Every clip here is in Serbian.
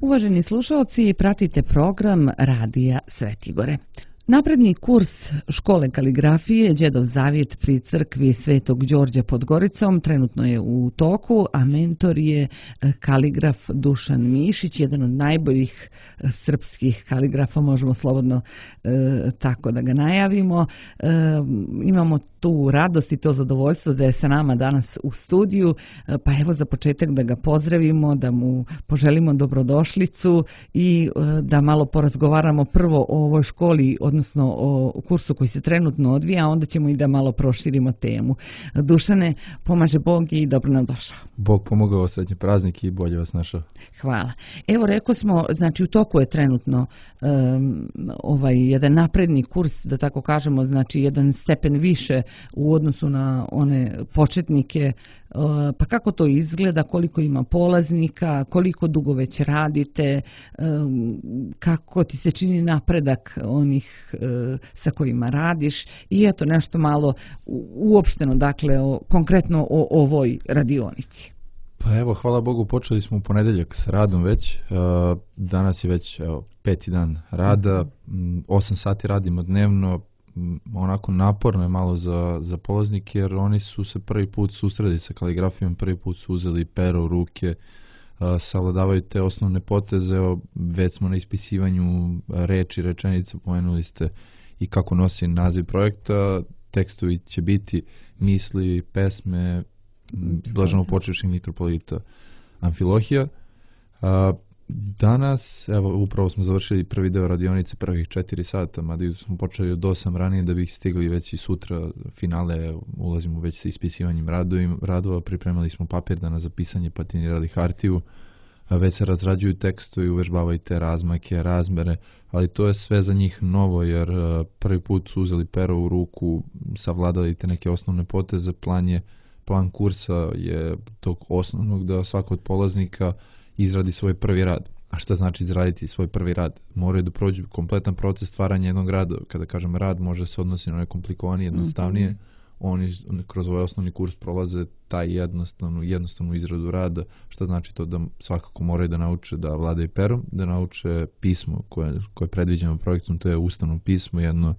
Uvaženi slušalci, pratite program Radija Svetigore. Napredni kurs škole kaligrafije Đedov zavjet pri crkvi Svetog Đorđa pod Goricom trenutno je u toku, a mentor je kaligraf Dušan Mišić, jedan od najboljih srpskih kaligrafa, možemo slobodno tako da ga najavimo. Imamo tu radost i to zadovoljstvo da je sa nama danas u studiju, pa evo za početak da ga pozdravimo, da mu poželimo dobrodošlicu i da malo porazgovaramo prvo o ovoj školi, odnosno o kursu koji se trenutno odvija, a onda ćemo i da malo proširimo temu. Dušane, pomaže Bog i dobro nam došao. Bog pomogao, sretni praznik i bolje vas našao. Hvala. Evo rekao smo, znači u toku je trenutno jedan napredni kurs, da tako kažemo, znači jedan stepen više u odnosu na one početnike. Pa kako to izgleda, koliko ima polaznika, koliko dugo već radite, kako ti se čini napredak onih sa kojima radiš i eto nešto malo uopšteno, dakle konkretno o ovoj radionici. Pa evo, hvala Bogu, počeli smo u ponedeljak s radom već. Danas je već 5. dan rada, 8 sati radimo dnevno, onako naporno je malo za polaznike jer oni su se prvi put susreli sa kaligrafijom, prvi put su uzeli pero u ruke, savladavaju te osnovne poteze, već smo na ispisivanju reči, rečenica, pomenuli ste i kako nosi naziv projekta, tekstovi će biti misli, pesme, blaženo počevši mitropolita Amfilohija. Danas, evo, upravo smo završili prvi deo radionice, prvih 4 sata, mada smo počeli od 8 ranije da bih stigli već i sutra finale, ulazimo već sa ispisivanjem radova, pripremali smo papir danas za pisanje, patinirali hartiju, već se razrađuju tekstovi, uvežbavaju te razmake, razmere, ali to je sve za njih novo jer prvi put su uzeli pero u ruku, savladali te neke osnovne poteze, plan kursa je tog osnovnog da svako od polaznika izradi svoj prvi rad. A šta znači izraditi svoj prvi rad? Moraju da prođu kompletan proces stvaranja jednog rada. Kada kažem rad, može se odnosi na nekomplikovanije, jednostavnije. Oni kroz ovaj osnovni kurs prolaze taj jednostavnu izradu rada. Šta znači to? Da svakako moraju da nauče da vladaju perom, da nauče pismo koje predviđamo projektom, to je ustavno pismo, jedno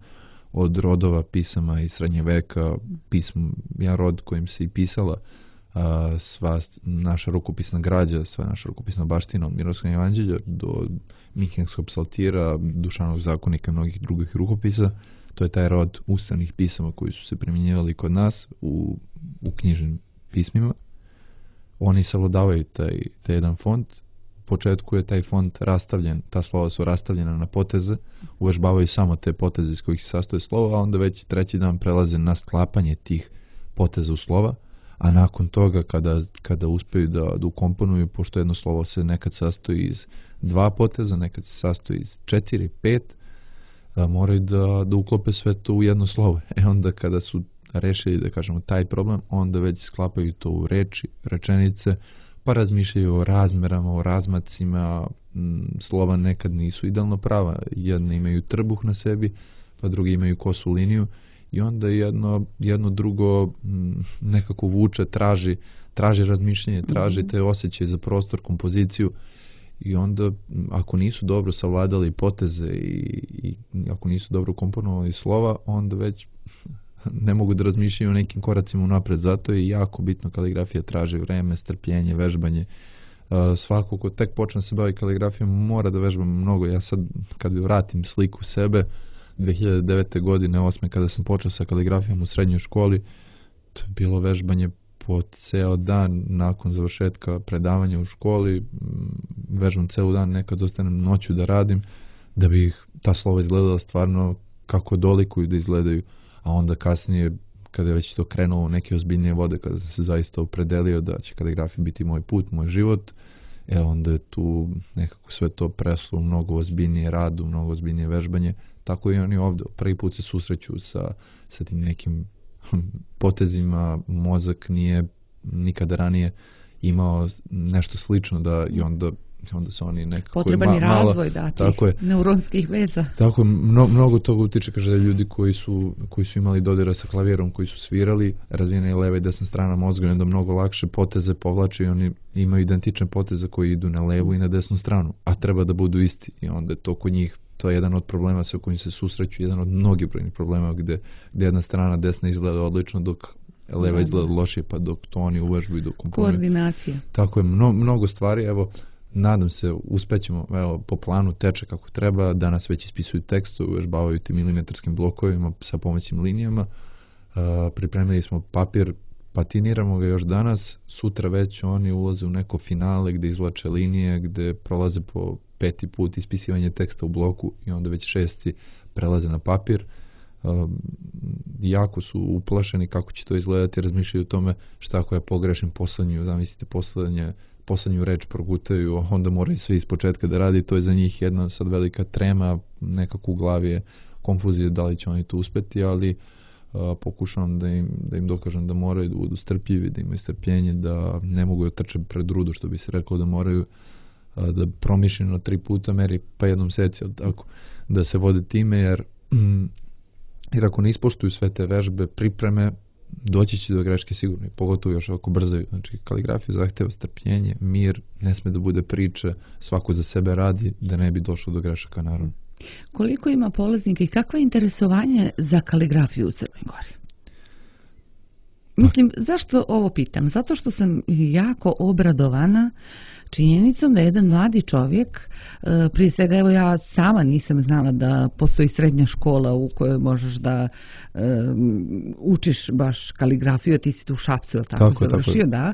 od rodova pisama iz srednje veka, jedan rod kojim se i pisala sva naša rukopisna građa, sva naša rukopisna baština od Mirovskog evanđelja do Minhenskog psaltira, Dušanovog zakonika i mnogih drugih rukopisa. To je taj rod ustavnih pisama koji su se primjenjivali kod nas u knjižnim pismima. Oni savladavaju taj jedan font. U početku je taj font rastavljen, ta slova su rastavljena na poteze, uvežbavaju samo te poteze iz kojih se sastoje slova, a onda već 3. dan prelaze na sklapanje tih poteza u slova, a nakon toga kada uspeju da ukomponuju, pošto jedno slovo se nekad sastoji iz 2 poteza, nekad se sastoji iz 4, 5, moraju da uklope sve to u jedno slovo. Onda kada su rešili, da kažemo, taj problem, onda već sklapaju to u reči, rečenice, pa razmišljaju o razmerama, o razmacima, slova nekad nisu idealno prava, jedne imaju trbuh na sebi, pa drugi imaju kosu liniju i onda jedno drugo nekako vuče, traži razmišljanje, traži te osjećaje za prostor, kompoziciju i onda ako nisu dobro savladali poteze i ako nisu dobro komponovali slova, onda već ne mogu da razmišljaju o nekim koracima unapred. Zato je jako bitno, kaligrafija traži vreme, strpljenje, vežbanje. Svako ko tek počne se bavi kaligrafijom mora da vežba mnogo. Ja sad kad vratim sliku sebe 2009. godine, 8. kada sam počeo sa kaligrafijom u srednjoj školi, to je bilo vežbanje po ceo dan nakon završetka predavanja u školi. Vežbam ceo dan, nekad ostanem noću da radim da bi ta slova izgledala stvarno kako dolikuju da izgledaju. A onda kasnije, kada je već to krenulo u neke ozbiljnije vode, kada sam se zaista opredelio da će kaligrafija biti moj put, moj život, onda je tu nekako sve to preslo u mnogo ozbiljnije radu, mnogo ozbiljnije vežbanje. Tako i oni ovdje prvi put se susreću sa tim nekim potezima, mozak nije nikada ranije imao nešto slično i onda onda su oni nekako potreban je razvoj, da, tih neuronskih veza. Tako, mnogo toga utiče, kaže, ljudi koji su imali dodira sa klavijerom, koji su svirali, razvijena je leva i desna strana mozga, onda mnogo lakše poteze povlače i oni imaju identične poteze koji idu na levu i na desnu stranu, a treba da budu isti i onda to kod njih, to je jedan od problema sa kojim se susreću, jedan od mnogih brojnih problema gde jedna strana desna izgleda odlično dok leva izgleda lošije, pa dok to oni uvežbu i dok komponuju. Koordinacija. Tako je, mnogo stvari, evo, nadam se, uspećemo, evo, po planu teče kako treba, danas već ispisuju tekstu, uvežbavaju tim milimetarskim blokovima sa pomoćnim linijama, pripremili smo papir, patiniramo ga još danas, sutra već oni ulaze u neko finale gde izvlače linije, gde prolaze po 5. put ispisivanje teksta u bloku i onda već 6. prelaze na papir. Jako su uplašeni kako će to izgledati, razmišljaju o tome šta ako ja pogrešim zamislite poslednju reč progutaju, onda moraju sve iz početka da radi, to je za njih jedna sad velika trema, nekako u glavi je konfuzija da li će oni to uspeti, ali pokušavam da im dokažem da moraju da budu strpljivi, da imaju strpljenje, da ne mogu da trče pred rudu, što bi se reklo, da moraju da promišljeno 3 puta meri pa jednom seci, tako, da se vode time, jer ako ne ispoštuju sve te vežbe, pripreme, doći će do greške sigurno, pogotovo još ako brzaju. Znači, kaligrafija zahteva strpljenje, mir, ne sme da bude priče, svako za sebe radi, da ne bi došlo do grešaka, naravno. Koliko ima polaznika i kakvo je interesovanje za kaligrafiju u Crnoj Gori? Mislim, zašto ovo pitam? Zato što sam jako obradovana činjenicom da jedan mladi čovjek, prije svega, evo ja sama nisam znala da postoji srednja škola u kojoj možeš da učiš baš kaligrafiju, ti si tu u Šapcu, tako završio, da.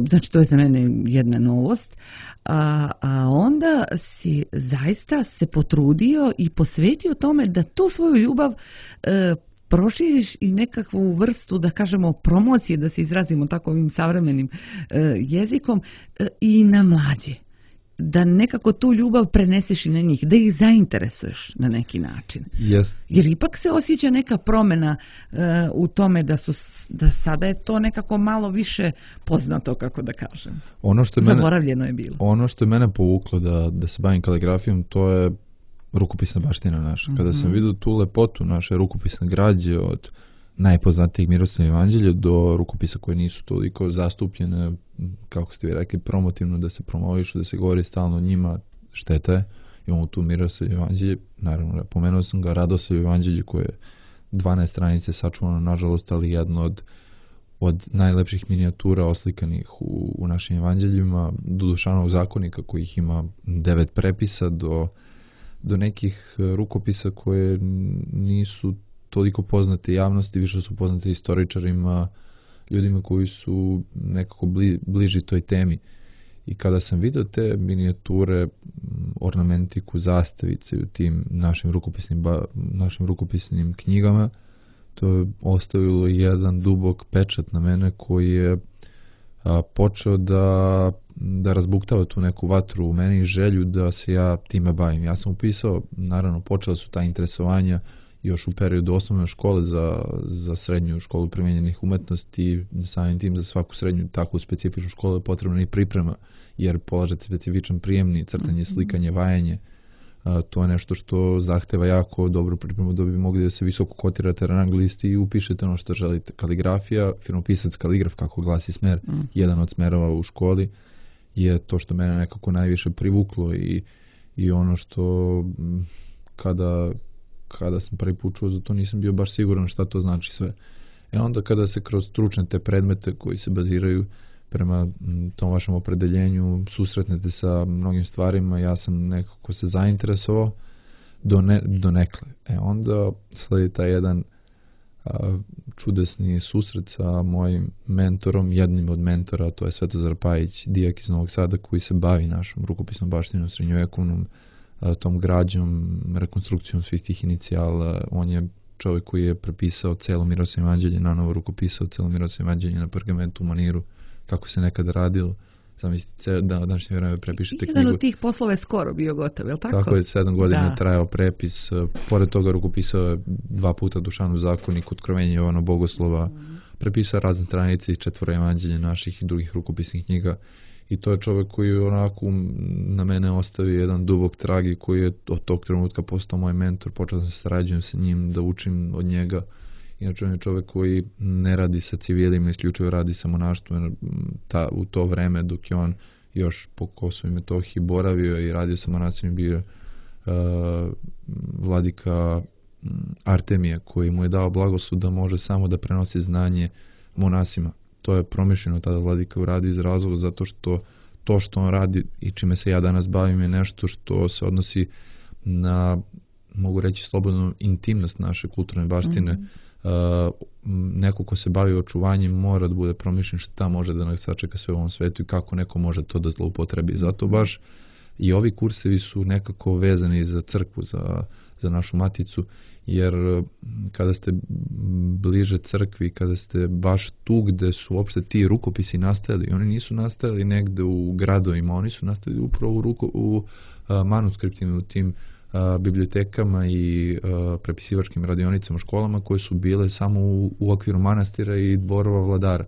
Znači, to je za mene jedna novost. A onda si zaista se potrudio i posvetio tome da tu svoju ljubav proširiš i nekakvu vrstu, da kažemo, promocije, da se izrazimo tako ovim savremenim jezikom, i na mlađe. Da nekako tu ljubav preneseš i na njih, da ih zainteresuješ na neki način. Yes. Jer ipak se osjeća neka promjena u tome da sada je to nekako malo više poznato, kako da kažem. Zaboravljeno je bilo. Ono što je mene povuklo da se bavim kaligrafijom, to je rukopisna baština naša. Kada sam vidio tu lepotu naše rukopisne građe, od najpoznatijih Miroslavljevo evanđelje do rukopisa koje nisu toliko zastupljene, kako ste vi rekli, promotivno, da se promovišu, da se govori stalno o njima, šteta je. Imamo tu Miroslavljevo evanđelje, naravno, pomenuo sam ga, Radoslavljevo evanđelje koje je 12 stranice sačuvano, nažalost, ali jedno od najlepših minijatura oslikanih u našim evanđeljima, do Dušanovog zakonika kojih ima 9 prepisa, do nekih rukopisa koje nisu toliko poznate javnosti, više su poznate istoričarima, ljudima koji su nekako bliži toj temi. I kada sam vidio te minijature, ornamentiku, zastavice u tim našim rukopisnim knjigama, to je ostavilo jedan dubok pečat na mene koji je počeo da razbuktava tu neku vatru u meni i želju da se ja time bavim. Ja sam upisao, naravno, počela su ta interesovanja još u periodu osnovne škole za srednju školu primenjenih umetnosti, samim tim za svaku srednju takvu specifičnu školu je potrebna i priprema, jer polažete specifičan prijemni, crtanje, slikanje, vajanje. To je nešto što zahteva jako dobru pripremu da bi mogli da se visoko kotirate na rang listi i upišete ono što želite. Kaligrafija, firmopisac, kaligraf, kako glasi smer, jedan od smerova u školi, je to što mene nekako najviše privuklo i ono što kada sam prvi put čuo za to nisam bio baš siguran šta to znači sve. Onda kada se kroz stručne te predmete koji se baziraju prema tom vašem opredeljenju susretnete sa mnogim stvarima, ja sam nekako se zainteresovao do nekle. Onda sledi taj jedan čudesni susret sa mojim mentorom, jednim od mentora, to je Svetozar Pajić, dijak iz Novog Sada, koji se bavi našom rukopisnom baštinom, srednjovekovnom, tom građom, rekonstrukcijom svih tih inicijala. On je čovjek koji je prepisao celo Miroslavljevo evanđelje, nanovo rukopisao celo Miroslavljevo evanđelje na pergamentu, u maniru, kako se nekada radilo. Zamislite, da današnje vreme prepišete knjigu. Jedan od tih poslova je skoro bio gotov, je li tako? Tako je, 7 godina je trajao prepis. Pored toga rukopisao je 2 puta Dušanov zakonik, Otkrovenje Jovana Bogoslova, prepisao razne stranice i 4 evanđelje naših i drugih rukopisnih knjiga. i to je čovjek koji onako na mene ostavio jedan dubok trag i koji je od tog trenutka postao moj mentor, počeo sam se sarađujem sa njim, da učim od njega. Inače on je čovjek koji ne radi sa civilima, isključivo radi sa monaštvom, u to vreme dok je on još po Kosovu i Metohiji boravio i radio sa monasima, bio vladika Artemije, koji mu je dao blagoslov da može samo da prenosi znanje monasima. To je promišljeno tada vladika uradi iz razloga zato što to što on radi i čime se ja danas bavim je nešto što se odnosi na, mogu reći slobodno, intimnost naše kulturne baštine. Neko ko se bavi očuvanjem mora da bude promišljen šta može da nas sačeka sve u ovom svetu i kako neko može to da zloupotrebi. Zato baš i ovi kursevi su nekako vezani za crkvu, za našu maticu, jer kada ste bliže crkvi, kada ste baš tu gde su uopšte ti rukopisi nastajali, oni nisu nastajali negde u gradovima, oni su nastajali upravo u manuskriptima, u tim bibliotekama i prepisivačkim radionicama u školama koje su bile samo u okviru manastira i dvorova vladara.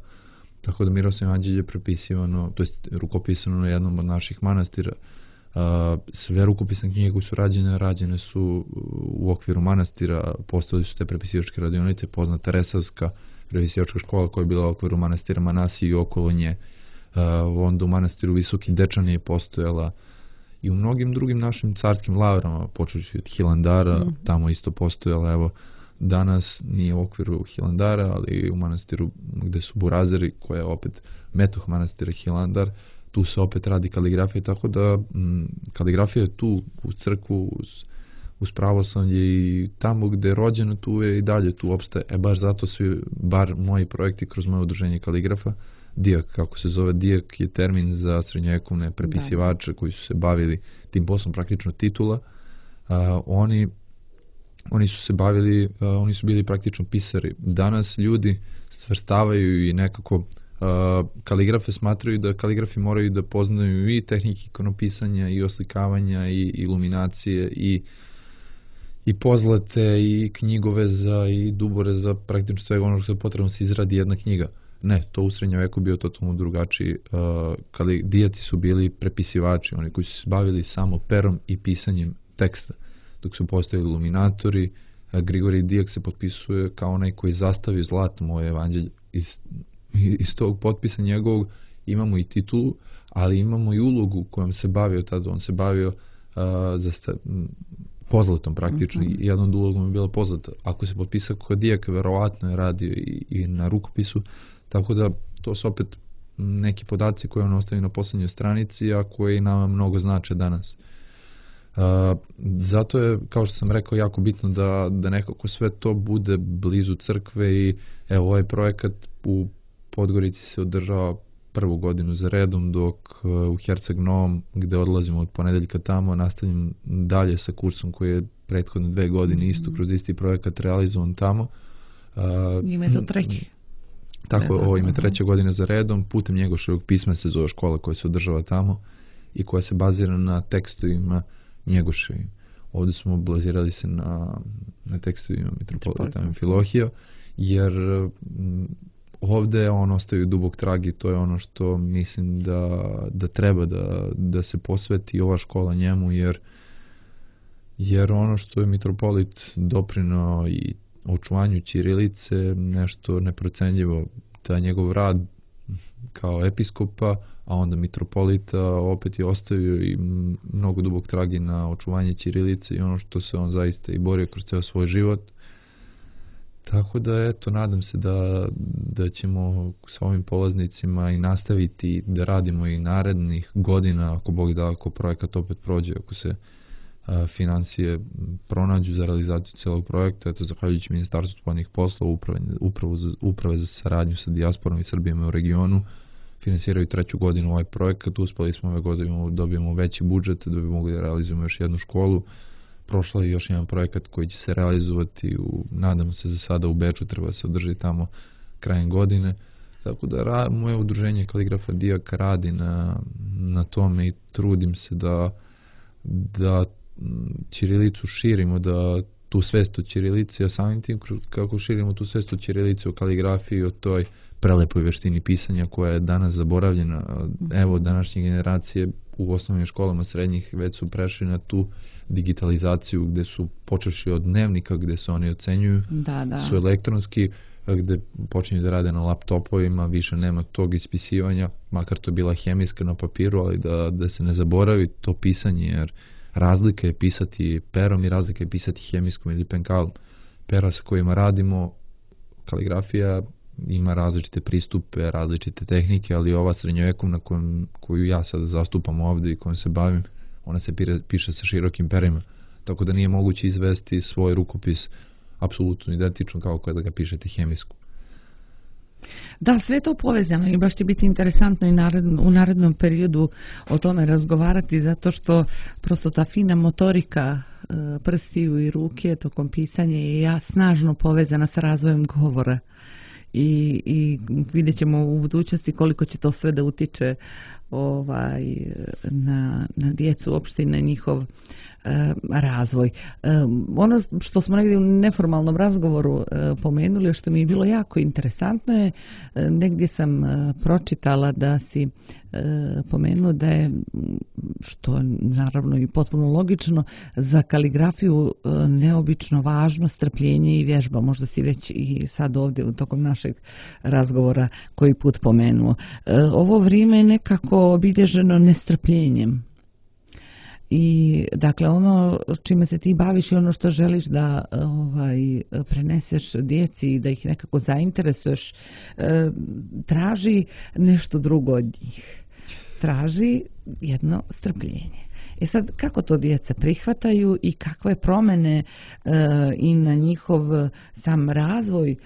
Tako da Miroslav Anđelj je prepisivano, to jest rukopisano na jednom od naših manastira. Sve rukopisne knjige koje su rađene su u okviru manastira, postavili su te prepisivačke radionice, poznata Resavska prepisivačka škola koja je bila u okviru manastira Manasije i okolo nje. Onda u manastiru Visoki Dečani je postojala i u mnogim drugim našim carskim lavrama, počeći od Hilandara, tamo isto postojala, evo, danas nije u okviru Hilandara, ali u manastiru gde su Burazeri, koja je opet metoh manastira Hilandar, tu se opet radi kaligrafija, tako da kaligrafija je tu uz crkvu, uz pravoslavlje i tamo gde je rođeno, tu je i dalje, tu opstaje. Baš zato su, bar moji projekti kroz moje udruženje kaligrafa, DIAK, kako se zove, DIAK je termin za srednjovekovne prepisivače koji su se bavili tim poslom, praktično titula. Oni su se bavili, oni su bili praktično pisari. Danas ljudi svrstavaju i nekako kaligrafe smatraju da kaligrafi moraju da poznaju i tehnike ikonopisanja i oslikavanja i iluminacije i pozlate i knjigoveza i dubore, praktično svega ono što je potrebno se izradi jedna knjiga. Ne, to u srednjem veku bio totalno drugačiji. Dijaci su bili prepisivači, oni koji su se bavili samo perom i pisanjem teksta. Dok su postojali iluminatori, Grigorij Dijak se potpisuje kao onaj koji zastavi zlatom moje evanđelje. Iz tog potpisa njegovog imamo i titulu, ali imamo i ulogu kojom se bavio tada. On se bavio pozlatom praktično. I jedna od ulogom je bila pozlata. Ako se potpisao kod Dijaka, verovatno je radio i na rukopisu. Tako da to su opet neki podaci koje on ostavi na poslednjoj stranici, a koji nama mnogo znače danas. Zato je, kao što sam rekao, jako bitno da nekako sve to bude blizu crkve i evo ovaj projekat u Podgorici se održava prvu godinu za redom, dok u Herceg Novom, gde odlazimo od ponedeljka tamo, nastavljam dalje sa kursom koji je prethodne 2 godine isto kroz isti projekat realizovan tamo. Ime je to treći. Tako, ovo ime 3. godine za redom, putem Njegoševog pisma se zove škola koja se održava tamo i koja se bazira na tekstovima Njegoševim. Ovdje smo bazirali se na tekstovima Mitropolita Amfilohija, jer ovdje on ostaje dubok trag i to je ono što mislim da treba da se posveti ova škola njemu, jer ono što je mitropolit doprinao i očuvanju ćirilice nešto neprocenljivo. Taj njegov rad kao episkopa, a onda mitropolita, opet je ostavio i mnogo dubok trag na očuvanje ćirilice i ono što se on zaista i borio kroz ceo svoj život. Tako da, eto, nadam se da ćemo sa ovim polaznicima i nastaviti da radimo i narednih godina, ako Bog da, ako projekat opet prođe, ako se financije pronađu za realizaciju celog projekta. Eto, zahvaljujući Ministarstvu spoljnih poslova, uprave za saradnju sa dijasporom i Srbijama u regionu, finansiraju 3. godinu ovaj projekat. Uspeli smo ove godine dobijemo veći budžet da bi mogli da realizujemo još jednu školu. Prošla je još jedan projekat koji će se realizovati, nadamo se za sada u Beču, treba se održati tamo krajem godine. Tako da moje udruženje Kaligrafa Dijak radi na tome i trudim se da ćirilicu širimo, da tu svest o ćirilici, a samim tim kako širimo tu svest o ćirilici, o kaligrafiji, o toj prelepoj veštini pisanja koja je danas zaboravljena. Evo, današnje generacije u osnovnim školama srednjih već su prešli na tu digitalizaciju gdje su počeši od dnevnika gdje se oni ocenjuju, su elektronski, gdje počinju da rade na laptopovima, više nema tog ispisivanja, makar to bila hemijska na papiru, ali da se ne zaboravi to pisanje, jer razlika je pisati perom i razlika je pisati hemijskom ili penkalom. Pera sa kojima radimo, kaligrafija ima različite pristupe, različite tehnike, ali ova srednjovekovna koju ja sada zastupam ovdje i kojom se bavim, ona se piše sa širokim perima, tako da nije moguće izvesti svoj rukopis apsolutno identično kao kada ga pišete hemijsku. Da, sve to povezano i baš će biti interesantno i u narednom periodu o tome razgovarati, zato što prosto ta fina motorika prstiju i ruke tokom pisanja je snažno povezana sa razvojem govora. I vidjet ćemo u budućnosti koliko će to sve da utiče na djecu uopšte i na njihov razvoj. Ono što smo negdje u neformalnom razgovoru pomenuli, što mi je bilo jako interesantno je, negdje sam pročitala da si pomenuo da je, što je naravno i potpuno logično, za kaligrafiju neobično važno strpljenje i vježba. Možda si već i sad ovdje u tokom našeg razgovora koji put pomenuo. Ovo vrijeme je nekako obilježeno nestrpljenjem. I dakle ono čime se ti baviš i ono što želiš da preneseš djeci i da ih nekako zainteresuješ, traži nešto drugo od njih. Traži jedno strpljenje. Sad, kako to djeca prihvataju i kakve promjene i na njihov sam razvoj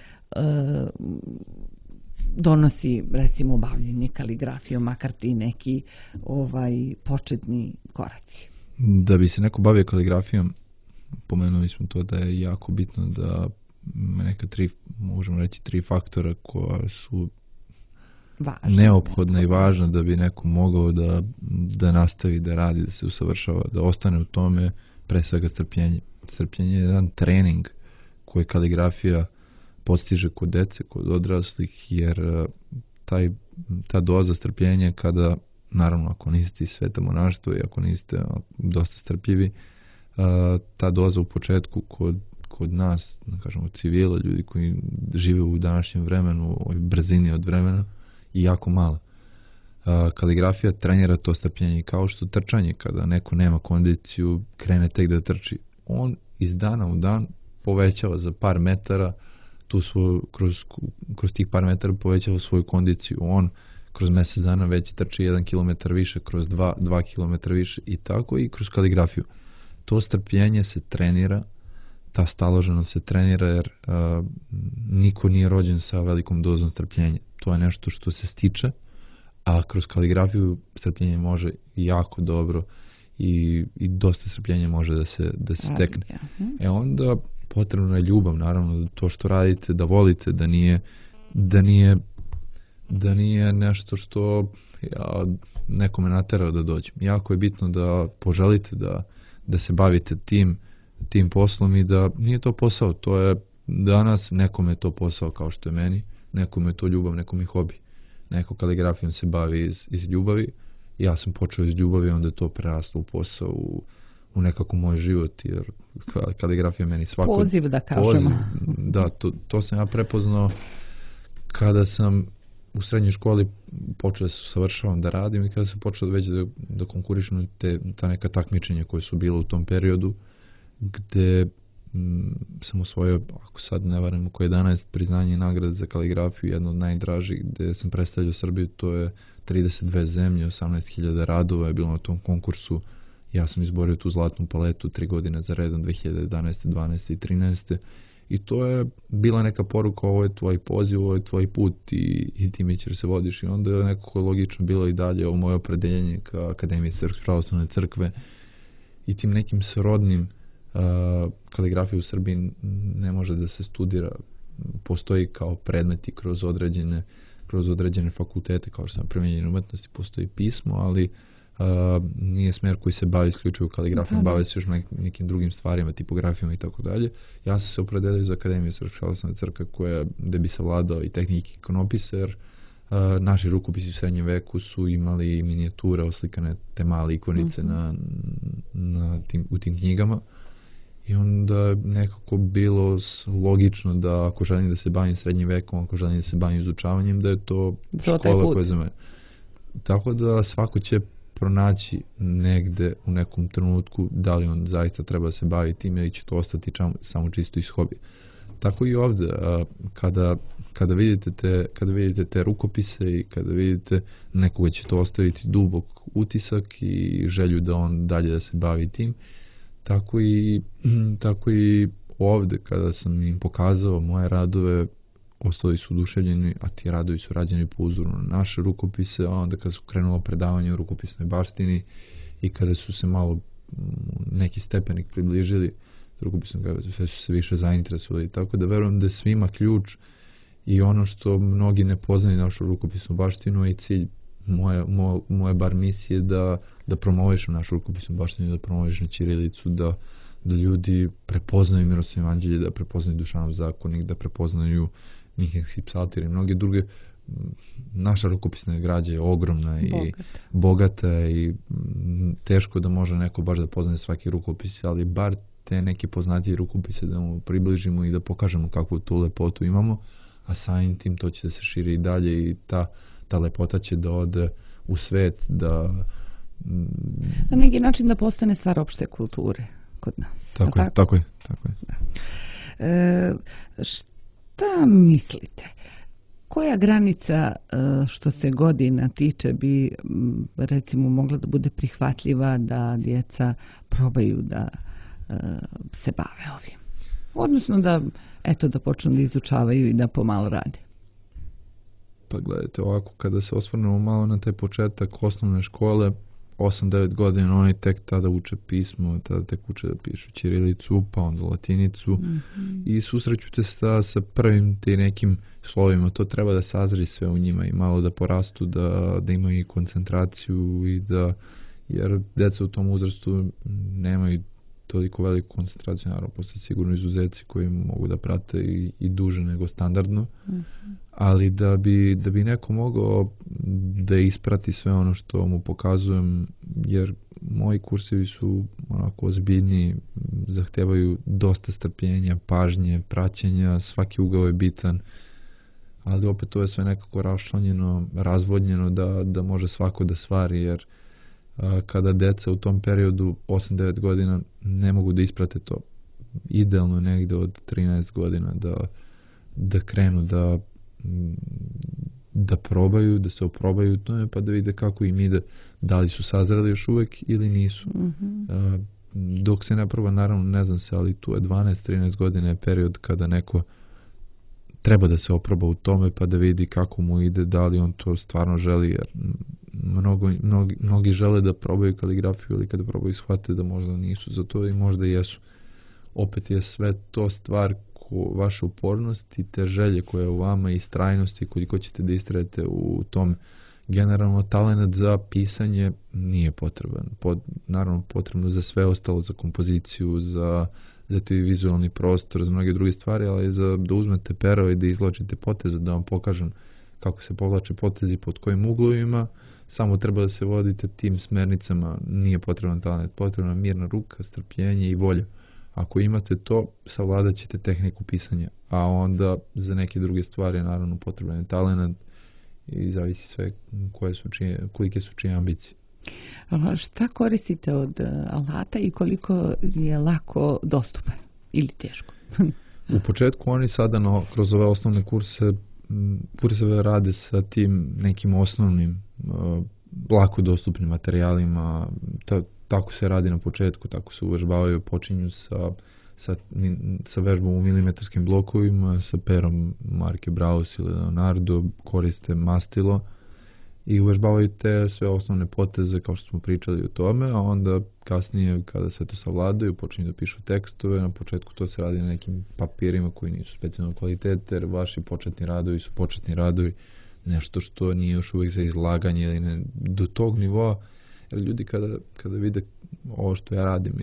donosi, recimo, bavljenje kaligrafijom, makar ti neki početni koraci? Da bi se neko bavio kaligrafijom, pomenuli smo to da je jako bitno da neka možemo reći tri faktora koja su neophodna i važna da bi neko mogao da nastavi da radi, da se usavršava, da ostane u tome, pre svega strpljenje. Strpljenje je jedan trening koji kaligrafija postiže kod dece, kod odraslih, jer ta doza strpljenja kada, naravno ako niste iz sveta monaštva i ako niste dosta strpljivi, ta doza u početku kod nas, da kažemo civila, ljudi koji žive u današnjem vremenu, u brzini od vremena, i jako mala. Kaligrafija trenira to strpljenje, kao što trčanje, kada neko nema kondiciju, krene tek da trči. On iz dana u dan povećava za par metara kroz tih par metara povećava svoju kondiciju. On kroz mjesec dana već trči 1 kilometar više, kroz 2 kilometra više i tako i kroz kaligrafiju. To strpljenje se trenira, ta staloženost se trenira, jer niko nije rođen sa velikom dozom strpljenja. To je nešto što se stiče, a kroz kaligrafiju strpljenje može jako dobro i dosta strpljenja može da se stekne. Onda potrebna je ljubav, naravno, to što radite, da volite, da nije nešto što nekome naterao da dođe. Jako je bitno da poželite da se bavite tim poslom i da nije to posao, to je danas, nekome je to posao kao što je meni, nekome je to ljubav, nekome je hobi. Neko kaligrafijom se bavi iz ljubavi, ja sam počeo iz ljubavi, onda je to preraslo u posao, u nekako moj život, jer kaligrafija meni svako... Poziv, da kažemo. Da, to sam ja prepoznao kada sam u srednjoj školi počeo da se usavršavam da radim i kada sam počeo već da konkurišem ta neka takmičenja koje su bile u tom periodu, gde sam osvojio, ako sad ne varam, oko 11 priznanja i nagrade za kaligrafiju, jedno od najdražih, gde sam predstavljao Srbiju, to je 32 zemlje, 18.000 radova je bilo na tom konkursu. Ja sam izborio tu zlatnu paletu 3 godine za redom, 2011, 12 i 13. I to je bila neka poruka, ovo je tvoj poziv, ovo je tvoj put i ti mi ćeš se vodiš. I onda je nekako logično bilo i dalje ovo moje opredeljenje ka Akademiji Srpske pravoslavne crkve i tim nekim srodnim. Kaligrafija u Srbiji ne može da se studira, postoji kao predmeti kroz određene fakultete, kao što sam primenjene umetnosti, postoji pismo, ali nije smjer koji se bavi isključivo kaligrafijom, bave se još nekim drugim stvarima, tipografijom i tako dalje. Ja sam se opredelio za Akademiju Srpske pravoslavne crkve gdje bi savladao i tehnike ikonopisa, jer naši rukopisi u srednjem veku su imali minijature oslikane, te male ikonice u tim knjigama. I onda nekako bilo logično da ako želim da se bavim srednjim vekom, ako želim da se bavim izučavanjem, da je to škola koja je za mene. Tako da svako će pronaći negde u nekom trenutku da li on zaista treba da se bavi tim ili će to ostati samo čisto iz hobija. Tako i ovdje, kada vidite te rukopise i kada vidite nekoga će to ostaviti dubok utisak i želju da on dalje da se bavi tim, tako i ovdje kada sam im pokazao moje radove, ostali su oduševljeni, a ti radovi su rađeni po uzoru na naše rukopise, a onda kada su krenulo predavanje u rukopisnoj baštini i kada su se malo neki stepenik približili rukopisnom, sve su se više zainteresovali, tako da verujem da je svima ključ i ono što mnogi ne poznaju našu rukopisnu baštinu i cilj moje bar misije da promovišem našu rukopisnu baštinu, da promovišem ćirilicu, da ljudi prepoznaju Miroslavljevo evanđelje, da prepoznaju Dušanov zakonik, da prepoznaju Minhenski psaltir i mnoge druge. Naša rukopisna građa je ogromna i bogata i teško da može neko baš da poznaje svaki rukopis, ali bar te neke poznatije rukopise da mu približimo i da pokažemo kakvu tu lepotu imamo, a samim tim to će da se širi i dalje i ta lepota će da ode u svet, da na neki način da postane stvar opšte kulture kod nas. Tako je. Šta mislite? Koja granica što se godina tiče bi recimo mogla da bude prihvatljiva da djeca probaju da se bave ovim? Odnosno da počnu da izučavaju i da pomalo rade. Pa gledajte, ovako kada se osvrnemo malo na taj početak osnovne škole, 8-9 godina oni tek tada uče pismo, tada tek uče da pišu ćirilicu, pa onda latinicu i susreću se sa prvim ti nekim slovima. To treba da sazri sve u njima i malo da porastu, da imaju i koncentraciju i jer djeca u tom uzrastu nemaju toliko veliku koncentraciju, naravno postoje sigurno izuzeci koji mogu da prate i duže nego standardno, ali da bi neko mogao da isprati sve ono što mu pokazujem, jer moji kursevi su onako ozbiljni, zahtevaju dosta strpljenja, pažnje, praćenja, svaki ugao je bitan, ali opet to je sve nekako raščlanjeno, razvodnjeno da može svako da stvari, jer kada deca u tom periodu 8-9 godina ne mogu da isprate to, idealno negde od 13 godina da krenu da probaju, da se oprobaju tome, pa da vide kako im ide, da li su sazreli još uvek ili nisu. Dok se ne proba, naravno ne znam se, ali tu je 12-13 godina je period kada neko treba da se oproba u tome pa da vidi kako mu ide, da li on to stvarno želi, jer mnogi žele da probaju kaligrafiju, ali kada probaju shvate da možda nisu za to i možda jesu. Opet je sve to stvar vaše upornosti, te želje koje je u vama i strajnosti koliko ćete da istrajete u tom. Generalno talent za pisanje nije potreban. Naravno potrebno za sve ostalo, za kompoziciju, za ti vizualni prostor, za mnoge druge stvari, ali da uzmete pero i da izvlačite poteze, da vam pokažem kako se povlače potezi pod kojim uglovima, samo treba da se vodite tim smernicama, nije potreban talent, potrebna mirna ruka, strpljenje i volja. Ako imate to, savladat ćete tehniku pisanja, a onda za neke druge stvari naravno potreban je talent i zavisi sve kolike su čije ambicije. Šta koristite od alata i koliko je lako dostupan ili teško? U početku oni sada kroz ove osnovne kurseve rade sa tim nekim osnovnim lako dostupnim materijalima, tako se radi na početku, tako se uvežbavaju, počinju sa vežbom u milimetarskim blokovima, sa perom marke Braus ili Leonardo, koriste mastilo i uvežbavaju te sve osnovne poteze kao što smo pričali o tome, a onda kasnije kada se to savladaju počinju da pišu tekstove. Na početku to se radi na nekim papirima koji nisu specijalnog kvaliteta, jer vaši početni radovi su početni radovi, nešto što nije još uvijek za izlaganje ili ne, do tog nivoa Jer ljudi kada vide ovo što ja radim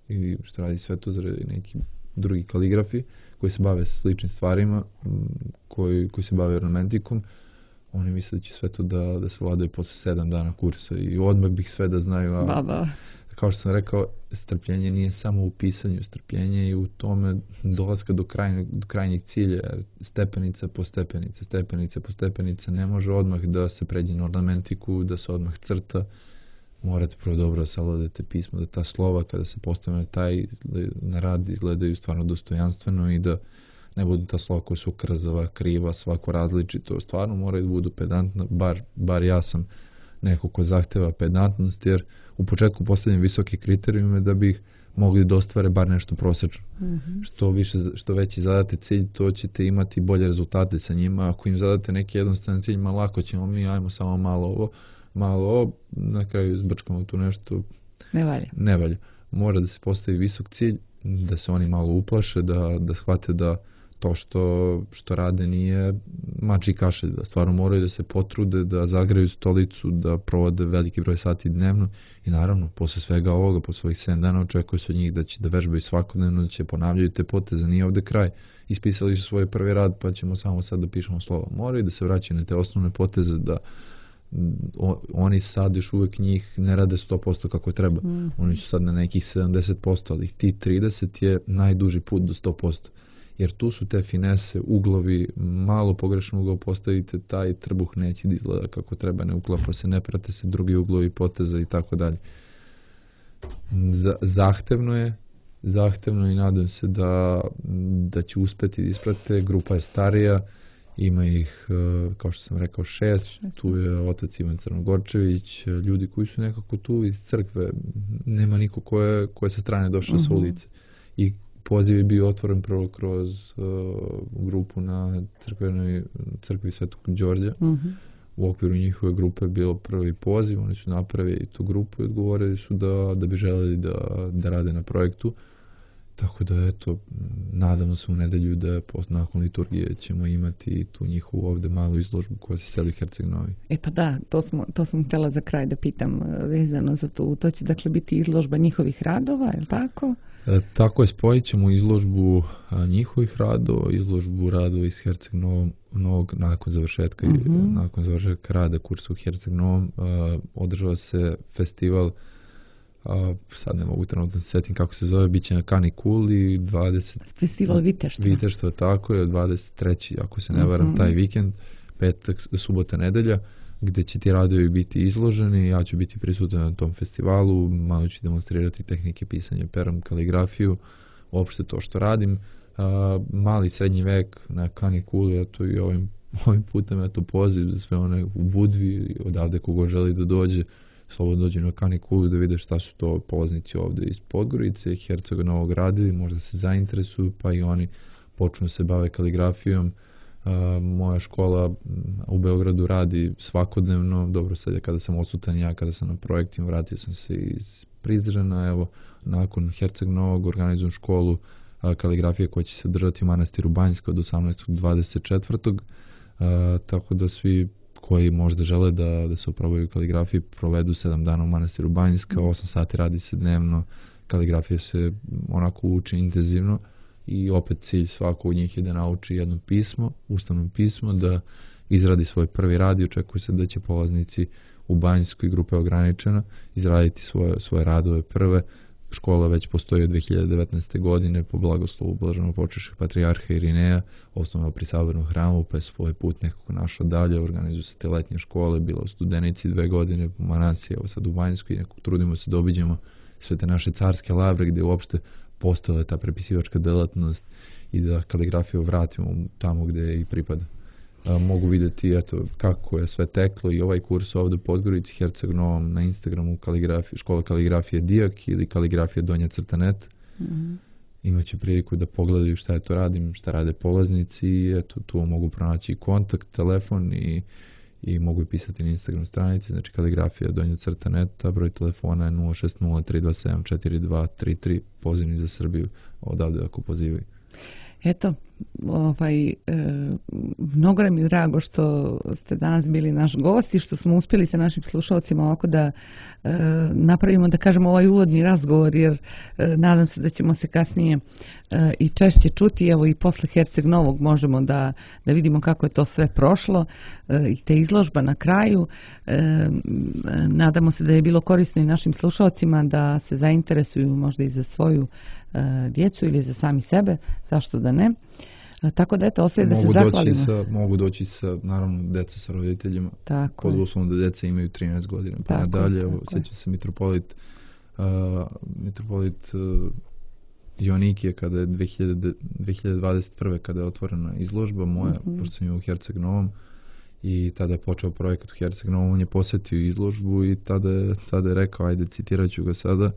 ili što radi Svetozar ili neki drugi kaligrafi koji se bave sličnim stvarima, koji se bave ornamentikom, oni misle da će sve to da se vladaju posle 7 dana kursa i odmah bih sve da znaju. Kao što sam rekao, strpljenje nije samo u pisanju, strpljenje i u tome dolaska do krajnjeg cilja, stepenica po stepenica, ne može odmah da se pređe na ornamentiku, da se odmah crta, morate prvo dobro savladati pismo, da ta slova kada se postave na rad izgledaju stvarno dostojanstveno i da ne budu ta slova koja su krzava, kriva, svako različito, stvarno moraju da budu pedantna, bar ja sam neko ko zahteva pedantnost, jer u početku postavljam visoke kriterijume da bih mogli da ostvare bar nešto prosečno. Što veći zadate cilj, to ćete imati bolje rezultate sa njima. Ako im zadate neki jednostavan cilj, lako ćemo mi, ajmo samo malo ovo, na kraju zbrčkamo tu nešto. Ne valja. Mora da se postavi visok cilj, da se oni malo uplaše, da shvate da to što rade nije mač i kašalj, da stvarno moraju da se potrude, da zagraju stolicu, da provode veliki broj sati dnevno i naravno, posle svega ovoga, posle svojih 7 dana očekuje se od njih da će da vežbaju svakodnevno, da će ponavljaju te poteze, nije ovde kraj. Ispisali su svoj prvi rad, pa ćemo samo sad da pišemo slova. Moraju da se vraćaju na te osnovne poteze, da oni sad još uvek njih ne rade 100% kako treba. Oni su sad na nekih 70%, ali ti 30 je najduži put do 100%. Jer tu su te finese, uglovi, malo pogrešno ugao postavite, taj trbuh neće da izgleda kako treba, ne uklapa se, ne prate se drugi uglovi poteza i tako dalje. Zahtevno i nadam se da će uspeti da isprate. Grupa je starija, ima ih, kao što sam rekao, 6, tu je otac Ivan Crnogorčević, ljudi koji su nekako tu iz crkve, nema niko ko je sa strane došao sa ulice. I poziv je bio otvoren prvo kroz grupu na crkvi Svetog Đorđa. U okviru njihove grupe je bilo prvi poziv, oni su napravili tu grupu i odgovorili su da bi želeli da rade na projektu. Tako da, eto, nadamo se u nedelju da nakon liturgije ćemo imati tu njihovu ovde malu izložbu koja se seli Herceg Novi. Pa da, to sam htjela za kraj da pitam vezano za to. To će dakle biti izložba njihovih radova, je li tako? Tako je, spojit ćemo izložbu njihovih radova, izložbu radova iz Herceg Novog nakon završetka rada kursa u Herceg Novom. Održava se festival, sad ne mogu trenutno se setim kako se zove, bit će na Kanikuli, Festival Viteštva. Viteštva, tako je, 23. ako se ne varam, taj vikend, petak, subota, nedelja, gde će ti radovi biti izloženi, ja ću biti prisutan na tom festivalu, malo ću demonstrirati tehnike pisanja perom, kaligrafiju, uopšte to što radim. Mali srednji vek na Kanikuli, eto i ovim putem eto poziv za sve one u Budvi, odavde kogo želi da dođe, slobodno dođe na Kanikulu da vide šta su to polaznici ovde iz Podgorice, Hercega Novog radili, možda se zainteresuju, pa i oni počnu se bave kaligrafijom. Moja škola u Beogradu radi svakodnevno, dobro sad je kada sam odsutan ja, kada sam na projektima, vratio sam se iz Prizrena, evo, nakon Herceg Novog organizujem školu kaligrafije koja će se držati u manastiru Banjska od 18. 24. Tako da svi koji možda žele da se oprobaju kaligrafiji provedu 7 dana u manastiru Banjska, 8 sati radi se dnevno, kaligrafija se onako uči intenzivno i opet cilj svako od njih je da nauči jedno pismo, ustavno pismo, da izradi svoj prvi rad i očekuje se da će polaznici u Banjskoj, grupe ograničena, izraditi svoje radove prve. Škola već postoji od 2019. godine po blagoslovu blaženopočivšeg patrijarha Irineja, osnovno pri Sabornom hramu, pa je svoj put nekako našao dalje, organizuju se te letnje škole, bila u Studenici 2 godine, po Manasiji, evo sad u Banjskoj, nekako trudimo se da obiđemo sve te naše carske lavre gdje uopšte postojala ta prepisivačka delatnost i da kaligrafiju vratimo tamo gdje i pripada. Mogu vidjeti eto kako je sve teklo i ovaj kurs ovdje u Podgorici, Herceg Novom, na Instagramu škola kaligrafije Dijak ili kaligrafije Donja Crta.net. Imaće priliku da pogledaju šta je to radim, šta rade polaznici i eto tu mogu pronaći kontakt, telefon i mogu i pisati na Instagram stranici, znači kaligrafija Donja Crta.net, a broj telefona je 060 327 4233, pozivni za Srbiju, odavde ako pozivaju. Eto, mnogo nam je drago što ste danas bili naš gost i što smo uspjeli sa našim slušalcima ovako da napravimo, da kažemo, ovaj uvodni razgovor, jer nadam se da ćemo se kasnije i češće čuti. Evo i posle Herceg Novog možemo da vidimo kako je to sve prošlo i te izložba na kraju. Nadamo se da je bilo korisno i našim slušalcima da se zainteresuju možda i za svoju djecu ili za sami sebe, zašto da ne. Tako da eto, ostaje da se zahvalimo. Mogu doći sa, naravno, deca sa roditeljima, pod uslovom da deca imaju 13 godina. Pa nadalje, sjeća se mitropolit Joanikije kada je 2021. kada je otvorena izložba moja, pošto sam je u Herceg Novom, i tada je počeo projekat u Herceg Novom, on je posjetio izložbu i tada je rekao, ajde, citirat ću ga sada,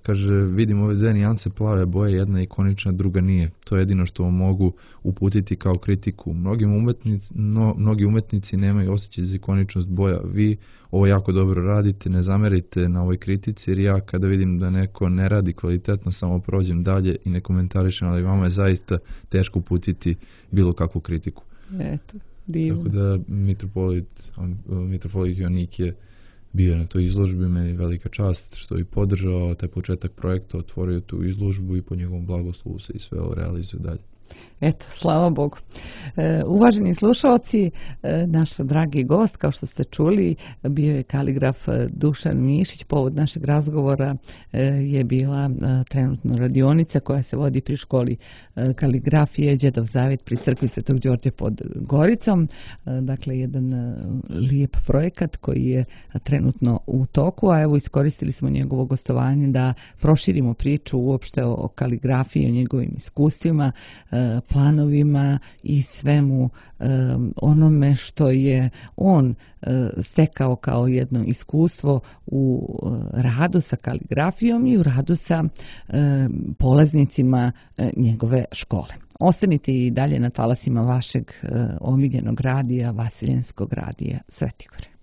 kaže, vidim ove dve nijanse plave boje, jedna je ikonična, druga nije. To je jedino što vam mogu uputiti kao kritiku. Mnogi umetnici nemaju osjećaj za ikoničnost boja. Vi ovo jako dobro radite, ne zamerite na ovoj kritici, jer ja kada vidim da neko ne radi kvalitetno, samo prođem dalje i ne komentarišem, ali vama je zaista teško uputiti bilo kakvu kritiku. Eto, divno. Tako da mitropolit Joanik je bio na toj izložbi, meni je velika čast što je podržao taj početak projekta, otvorio tu izložbu i po njegovom blagoslovu se i sve ovo realizuje dalje. Eto, slava Bogu. Uvaženi slušalci, naš dragi gost, kao što ste čuli, bio je kaligraf Dušan Mišić. Povod našeg razgovora je bila trenutno radionica koja se vodi pri školi kaligrafije Đedov Zavjet pri crkvi Svetog Đorđa pod Goricom. Dakle, jedan lijep projekat koji je trenutno u toku, a evo iskoristili smo njegovo gostovanje da proširimo priču uopšte o kaligrafiji, o njegovim iskustvima, planovima i svemu onome što je on stekao kao jedno iskustvo u radu sa kaligrafijom i u radu sa polaznicima njegove škole. Ostanite i dalje na talasima vašeg omiljenog radija, Vasiljenskog radija Svetigore.